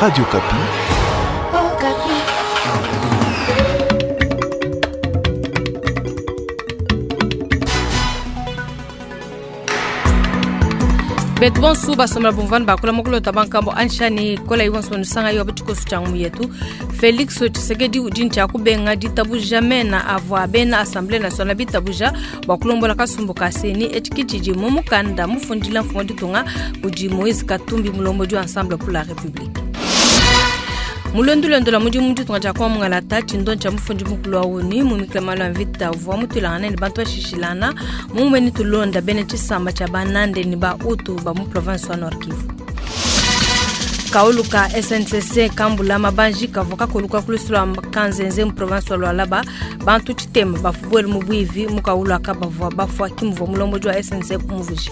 Radio Okapi. Okapi. Betu bonsu basomela bumvani bakula mukulota bankambo anshani kola iwonso nusanga yo butikosu changu yetu Felix Tshisekedi udi ntshia kubenga ditabuja mena avua bena Assemblée nationale bitabuja bua kulombola kasumbu ka CENI etshi tshidi mu mukanda mufundila mfumu wa ditunga kudi Moïse Katumbi mulombodi wa Ensemble pour la République. Mulondolondo la mudimu ditunga dia kwa mungalata tshindo tshia mufundi mukulu wa ONU mu mikila ya mvita uvua mutuilangana ne bantu bashishilana mumue tulonda bena tshisamba tshia banande ne ba Hutu ba mu province wa Nord Kivu. Kaulu ka SNCC kambula mabanji kavua kakoluka kulusu lua Kanzenze mu province wa Lualaba bantu tshitema bafubuele mu buivi mu kaulu aka bavua bafua kimuvua mulombodi wa SNCC muvuji.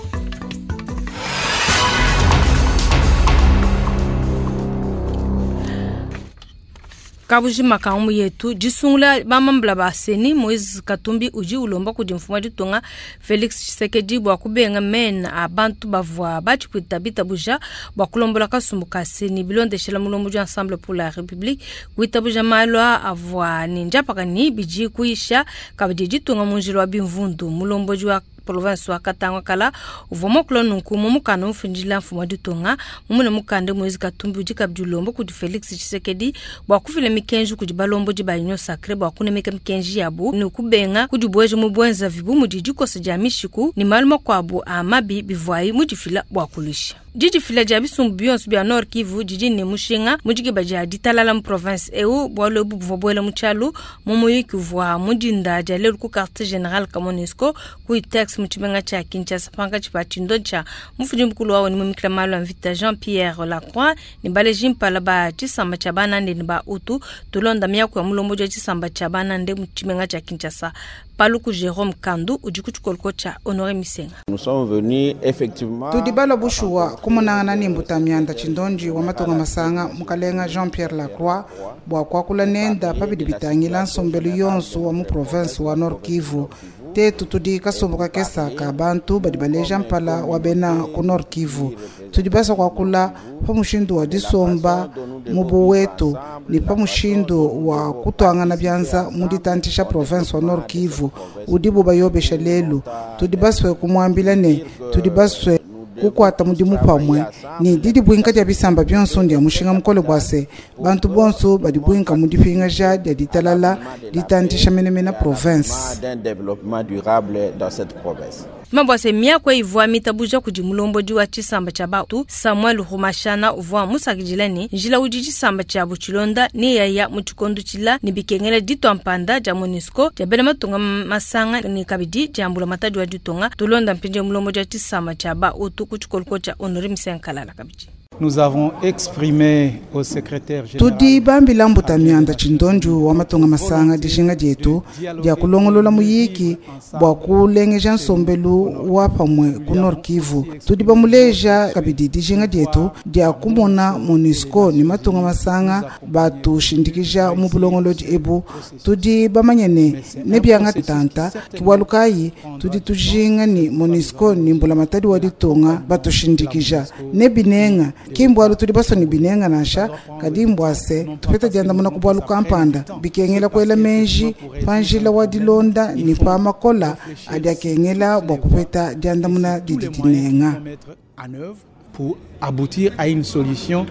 Kabujima ka mu yetu disungula bamambula ba CENI Moïse Katumbi udi ulomba kudi mfumu wa ditunga Felix Tshisekedi bua kubenga mena a bantu bavua batshipwita bitabuja bua kulombola kasumbu ka CENI bilondeshela mulombodi wa Ensemble pour la République kuitabuja malu avua ne ndiapaka ni bidi kuyisha kabidi ditunga mu njila wa bimvundu mulombodi wa province wa Katanga kala uvua muakula nunku mu mukanda mufundila mfumu wa ditunga mumune mukanda Moïse Katumbi udi kabidi ulomba kudi Felix Tshisekedi bua kufila mikenji kudi balombodi ba Union Sacrée bua kunemeka mikenji yabu ne kubenga kudibueja mu buenzavi bu mudi dikosa dia mishiku ne malu makuabu a mabi bivuayi mudifila bua kuluisha. Didifila dia bisumbu bionso bia Nord Kivu didi ne mushinga mu dikeba dia ditalala mu province eu bualu ebu buvua buela mu tshialu mu muyuki uvua mu dinda dia lelu ku quartier general ka MONUSCO ku ITEX mu tshimenga tshia Kinshasa pankatshi pa tshindo tshia mufundi mukulu wa ONU mu mikila malu a mvita Jean-Pierre Lacroix ne baleji mpala ba tshisamba tshia banande ne ba Hutu tulonda miaku ya mulombodi wa tshisamba tshia banande mu tshimenga tshia Kinshasa Paluku Jerome Kandu udi ku tshikoloko tshia Honore Misenga. Nous sommes venus effectivement Tudi balua bushuwa kumunangana ne mbuta mianda tshindondi wa matunga masanga mukalenga Jean-Pierre Lacroix bua kuakula nenda pabidi bitangila nsombelu yonso wa mu province wa Nord Kivu. Tetu tudi kasumbu kakesa ka bantu badi baleja mpala wa bena ku Nord Kivu. Tudi basa kuakula pa mushindu wa disomba mu buwetu ne pa mushindu wa kutuangana bianza mu ditantisha province wa Nord Kivu udibu bayobesha lelu. Tudi basue kumuambila ne tudi basue kukuata mudimu pamue ne didi buinka dia bisamba bionso ndia mushinga mukole bua se bantu bonso badi buinka mu dipingaja dia ditalala ditantisha menemene province. d'un développement durable dans cette province. Mabua se miaku ivua mitabuja kudi mulombodi wa tshisamba tshia batu Samuel Rumashana uvua musakidila ne njila udi tshisamba tshiabu tshilonda ne yaya mu tshikondo tshila ne bikengela ditua mpanda dia MONUSCO dia bena matunga masanga ne kabidi dia mbulamatadi wa ditunga tulonda mpindieu mulombodi wa tshisamba tshia bautu ku tshikoloko tshia Honore Misenkalala kabidi. Nous avons exprimé au secrétaire général Tudi bambila mbuta mianda tshindondu wa matunga masanga dijinga dietu dia kulongolola muyiki bua kulengeja nsombelu wa pamue ku Nord Kivu. Tudi bamuleja kabidi dijinga dietu dia kumona MONUSCO ne matunga masanga batushindikija mu bulongolodi ebu. Tudi bamanye ne nebianga tanta kibualu kayi tudi tujinga ni MONUSCO ne mbulamatadi wa ditunga batushindikija ne binenga kimbualu tudi basua ne binenga nansha kadi mbuase tupeta diandamuna ku bualu kampanda bikengela kuela menji pa njila wa dilonda ne pa makola adi akengela bua kupeta diandamuna didi dinenga. mettre en œuvre pour aboutir à une solution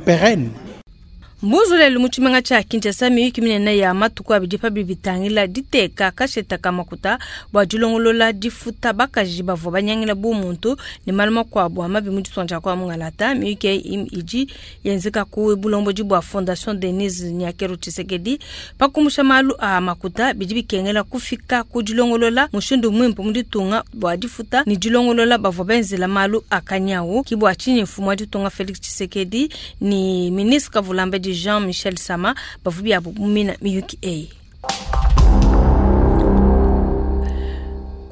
pérenne. Mbuzu lelu mu tshimenga tshia Kinshasa miyuki minene ya matuku abidi pabi bitangila diteka kasheta ka makuta bua dilongolola difuta bakaji bavua banyangila bu muntu ne malu makuabu a mabi mu ditunga dia kwa mungalata. Miyuki eyi idi yenzeka ku bulombodi bua Fondation Denise Nyakeru Tshisekedi pa kumusha malu a makuta bidi bikengela kufika ku dilongolola mushindu muimpe mu ditunga bua difuta ne dilongolola bavua benzela malu a kanyawu. Ki bua tshinyi mfumu wa ditunga Felix Tshisekedi ne ministre Kavulambedi Jean-Michel Sama bavua biabu mumina miyuki eyi.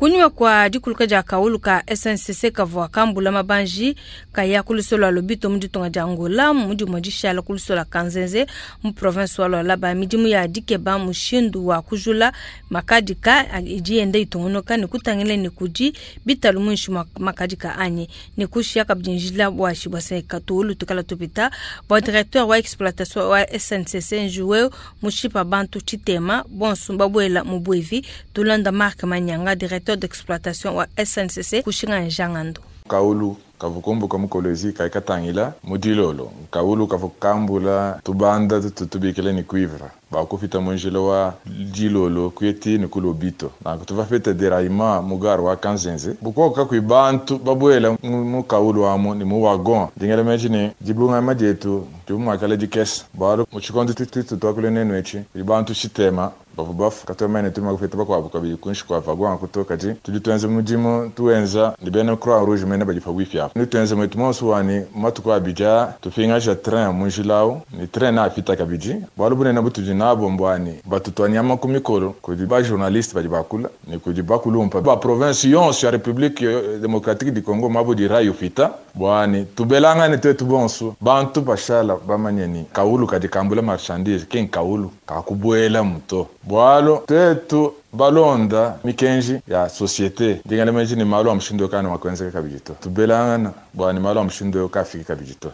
Kunyima kua dikuluka dia kawulu ka SNCC kavua kambula mabanji kaya ku lusolo lua Lobito mu ditunga dia Angola mu dimue dishala ku lusolo lua Kanzenze mu province wa Lualaba, midimu ya dikeba mushindu wa kujula makadika idi yenda itungunuka ne kutangila ne kudi bitalu muinshi mua makadika anyi ne kushiya kabidi njila buashi bua se katuulu tukala tupita. Bua directeur wa exploitation wa SNCC njuwe mushipa bantu tshitema bonso babuela mu buevi. Tulanda Marc Manyanga, directeur d'exploitation wa SNCC kushinga njangando. Kaulu kavukumbuka mukolezi kaikatangila mudilolo kaulu kavukambula tubanda tutubikile ni cuivre bakufita munjila wa dilolo kuyeti ni kulobito nanku tuvafita deraillement mugaro wa Kanzenze bukoka kakui bantu babuela mu kaulu amu ni mu wagon dingela meji ni dibungama dietu tumumakala dikesa bwalo muchikondo tutu twakule nenu echi bantu chitema bavu bafu katomene tuma kufita bakwabo kabili kunshi kwa wagon kutoka ji tudi tuenze mudimu tuenza ni bena Croix Rouge mene badifa wifi apo ni tuenze mwetu monso wani matuku abija tufingaja train munjilawo ni train na afita kabiji bwalo bunene butudi nabo mbwani batutwanyama ku mikolo kudi ba journaliste badi bakula ni kudi bakulumpa ba province yonso ya République démocratique du Congo mabo di rayo fita bwani tubelangane twetu bonso bantu bashala bamanye kaulu kadi kambula marchandise ken kaulu kakubuela muto bwalo twetu balonda mikenji ya societe ndingale meji ni malo amshindo kana makwenzeka kabijito tubelangana bwani malo amshindo kafika kabijito.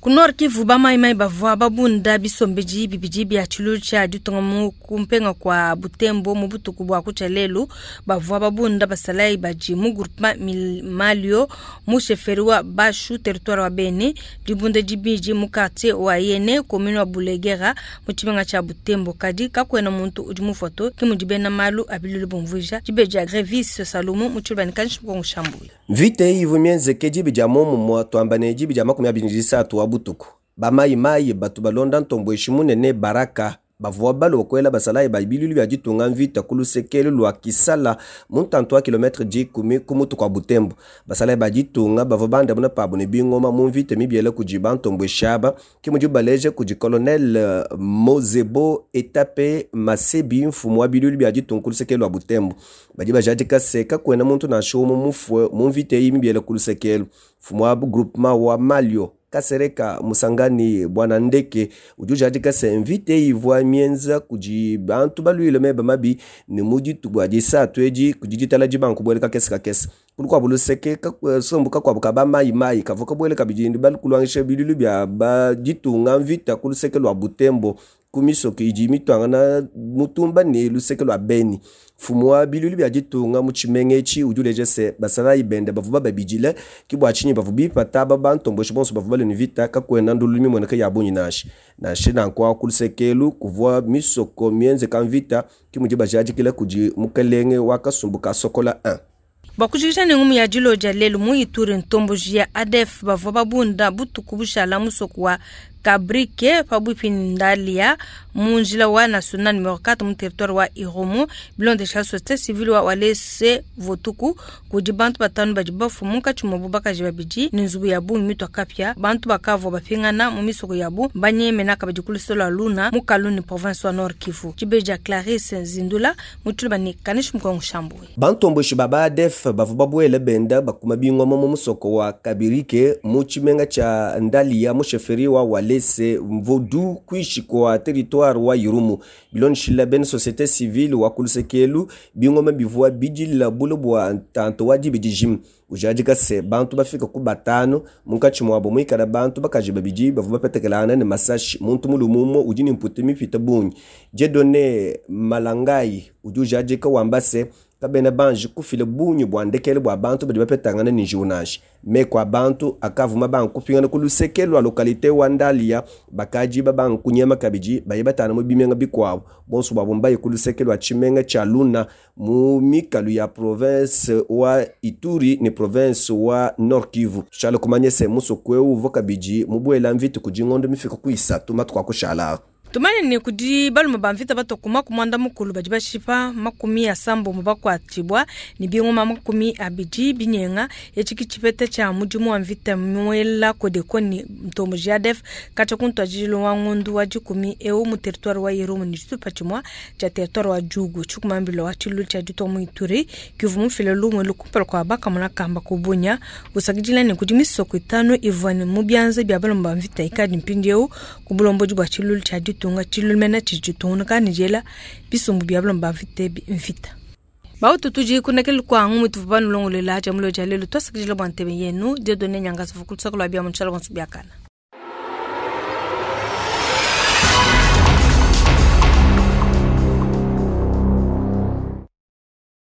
Ku Nord Kivu bamaimai bavua babunda bisombeji bibidi bia tshilu tshia ditunga mu kumpenga kwa Butembo mu butuku bua kutshia lelu. Bavua babunda basalai badi mu groupement Malio mu chefferie wa Bashu territoire wa Beni, dibunda dibidi mu quartier wa Yene commune wa Bulegera mu tshimenga tshia Butembo. Kadi kakuena muntu udi mu foto ki mudi bena malu abilulu bumvuija dibeji Grevis Salomo mu tshilubani kanshi mukongo shambuya. Mvita iyi ivua mienzeke dibi dia momumue twamba ne dibi dia 23 wa butuku. Bamayimayi batu balonda ntomboeshi munene Baraka bavua balua kuela basalayi ba bilulu bia ditunga mvita ku lusekelu lua Kisala mu ntantu wa kilometre 10 ku mutu kua Butembo. Basalayi ba ditunga bavua bandamuna pabu ne bingoma mu mvita mibiele kudi bantomboeshi aba ki mudi baleje kudi colonel Mozebo Etape Masebi mfumu wa bilulu bia ditunga ku lusekelu lua Butembo. Badi bajadika se kakuena muntu nansha umue mufue mu mvita eyi mibiele ku lusekelu. Mfumu wa groupement wa Malio Kasereka Musangani bwana Ndeke udi ujadika se mvita ivua mienza kudi bantu baluile meba mabi ne mu dituku disatu edi kudi ditala dibanku buele kakese kakese. Kulukuabu luseke sombu kakuabu ka bamayimayi kavua kabuele kabidi ndi balukulwangisha bilulu bia baditunga mvita ku luseke lua Butembo ku misoko idi mitwangana mutumba ne luseke lua Beni. Mfumu wa bilulu bia ditunga mu tshimenga etshi udi uleja se basalayi bende bavua bababidile ki bua tshinyi bavua bipata aba bantomboshi bonso bavua balue ne vita kakuena ndululu mimueneka ya bungi nansha. Nansha nanku ku lusekelu kuvua misoko mienzeka mvita ki mudi bajadikila kudi mukelenge wa kasumbu ka Sokola 1. Bua kujikija ne ngumu ya dilodia lelu mu Ituri ntomboji ya ADF bavua babunda butuku bushala musoko wa Kabrike pabuipi ndalia mu njila wa national numero 4 mu territoire wa Irumu bilondesha société civile wa Walese Votuku kudi bantu batanu badi bafu munkatshi muabu bakaji babidi ne nzubu ya bungi mitua kapia. Bantu bakavua bapingana mu misoko yabu banyemena kabidi ku lusolo lua Luna mu Kaluni province wa Nord Kivu. Tshibeji ya Clarisse Zindula mu tshiluba ne Kanishi Mukongo Shambui. Bantomboshi ba ADF bavua babuele benda bakuma bingoma mu musoko wa Kabirike mu tshimenga tshia Ndalia mu chefferie wa Walese Mvodu kuishi kwa territoire wa Irumu. Bilonshila ben société civile wa kulusekelu bingoma bivua bidila bulu bua ntanto wa dibidi jim. Ujadika se bantu bafika ku batanu munkatshi muabo muikala bantu bakaji babidi bavua bapetekelana ne masashi muntu mulumumo udi ne mputu mipita bungi. Dieudonné Malangai udi ujadika wamba se kabena banji kufila bungi bua ndekele bua bantu badi bapetangana ne njiwu nansha. Meko a bantu akavuma bankupingana ku luseke lua localité wa Ndalia bakaji babankunyema kabidi baye batana mu bimenga bikuabu. Bonso bwabo mbaye ku luseke lua tshimenga tshia Luna mu mikalu ya province wa Ituri ne province wa Nord Kivu. Tshala kumanye se musoko eu uvua kabidi mubuela mvita kudi ngondo mifika ku isatu matuku akushala. Tumanye ne kudi balume ba mvita batua ku 90 badi bashipa 60 bakuatshibua ne bingoma 20 binyenga. Etshi ki tshipeta tshia mudimu wa mvita muela Codeco ne Ntombo JADF katshia ku ntuadijilu wa ngondu wa dikumi eu mu territoire wa Irumu ne tshitupa tshimua tshia territoire wa Djugu. Tshikumambila wa tshilulu tshia ditua mu Ituri kivua mufile lumu elu kumpala kua bakamona kamba ku Bunia, usakidila ne kudi misoko itanu ivua ne mu bianza bia balume ba mvita ikadi mpindieu ku bulombodi bua tshilulu tshia ditunga. Tshilulu mena tshidi tshitungunuka ne diela bisumbu bia balume ba mvita ebi mvita. Bautu tudi kunekele kua ngumu tuvua banulongoluela dia mulo dia lelu. Tuasakidila bua ntebe yenu. Dieudonne Nyangasavu ku lusaka lua bia mu tshiala bonso biakana.